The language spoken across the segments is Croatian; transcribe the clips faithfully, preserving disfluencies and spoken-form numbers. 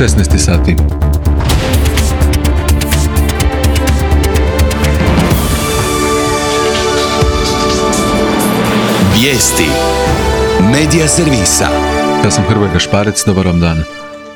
šesnaest sati. Vijesti Medija servisa. Ja sam Hrvoje Gašparec, dobar vam dan.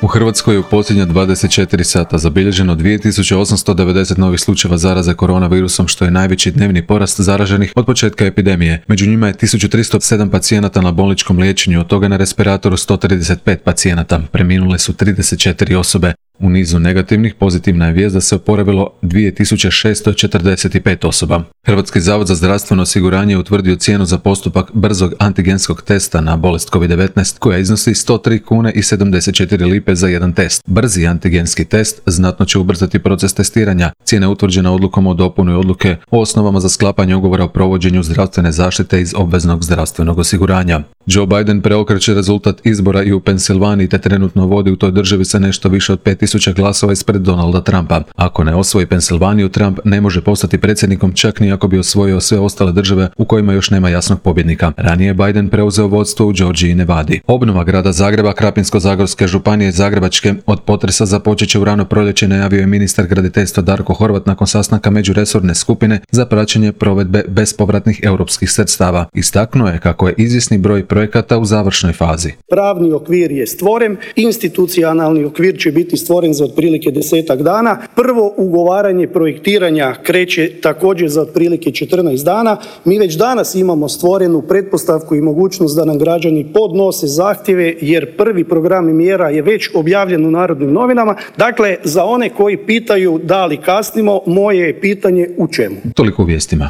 U Hrvatskoj je u posljednja dvadeset četiri sata zabilježeno dvije tisuće osamsto devedeset novih slučajeva zaraze koronavirusom, što je najveći dnevni porast zaraženih od početka epidemije. Među njima je tisuću tristo sedam pacijenata na bolničkom liječenju, od toga na respiratoru sto trideset pet pacijenata. Preminule su trideset četiri osobe. U nizu negativnih pozitivna je vijest da se oporavilo dvije tisuće šesto četrdeset pet osoba. Hrvatski zavod za zdravstveno osiguranje je utvrdio cijenu za postupak brzog antigenskog testa na bolest kovid devetnaest, koja iznosi sto tri kune i sedamdeset četiri lipe za jedan test. Brzi antigenski test znatno će ubrzati proces testiranja. Cijena je utvrđena odlukom o dopuni odluke o osnovama za sklapanje ugovora o provođenju zdravstvene zaštite iz obveznog zdravstvenog osiguranja. Joe Biden preokreće rezultat izbora i u Pensilvaniji, te trenutno vodi u toj državi sa nešto više od pet tisuća glasova ispred Donalda Trumpa. Ako ne osvoji Pensilvaniju, Trump ne može postati predsjednikom, čak ni ako bi osvojio sve ostale države u kojima još nema jasnog pobjednika. Ranije je Biden preuzeo vodstvo u Georgiji i Nevadi. Obnova grada Zagreba, Krapinsko-zagorske županije i Zagrebačke od potresa započet će u rano proljeće, najavio je ministar graditeljstva Darko Horvat nakon sastanka međuresorne skupine za praćenje provedbe bespovratnih europskih sredstava. Istaknuo je kako je izvjesni broj projekata u završnoj fazi. Pravni okvir je stvoren, institucionalni okvir će biti stvoren za otprilike desetak dana. Prvo ugovaranje projektiranja kreće također za otprilike četrnaest dana. Mi već danas imamo stvorenu pretpostavku i mogućnost da nam građani podnose zahtjeve, jer prvi program mjera je već objavljen u Narodnim novinama. Dakle, za one koji pitaju da li kasnimo, moje je pitanje u čemu. Toliko u vijestima.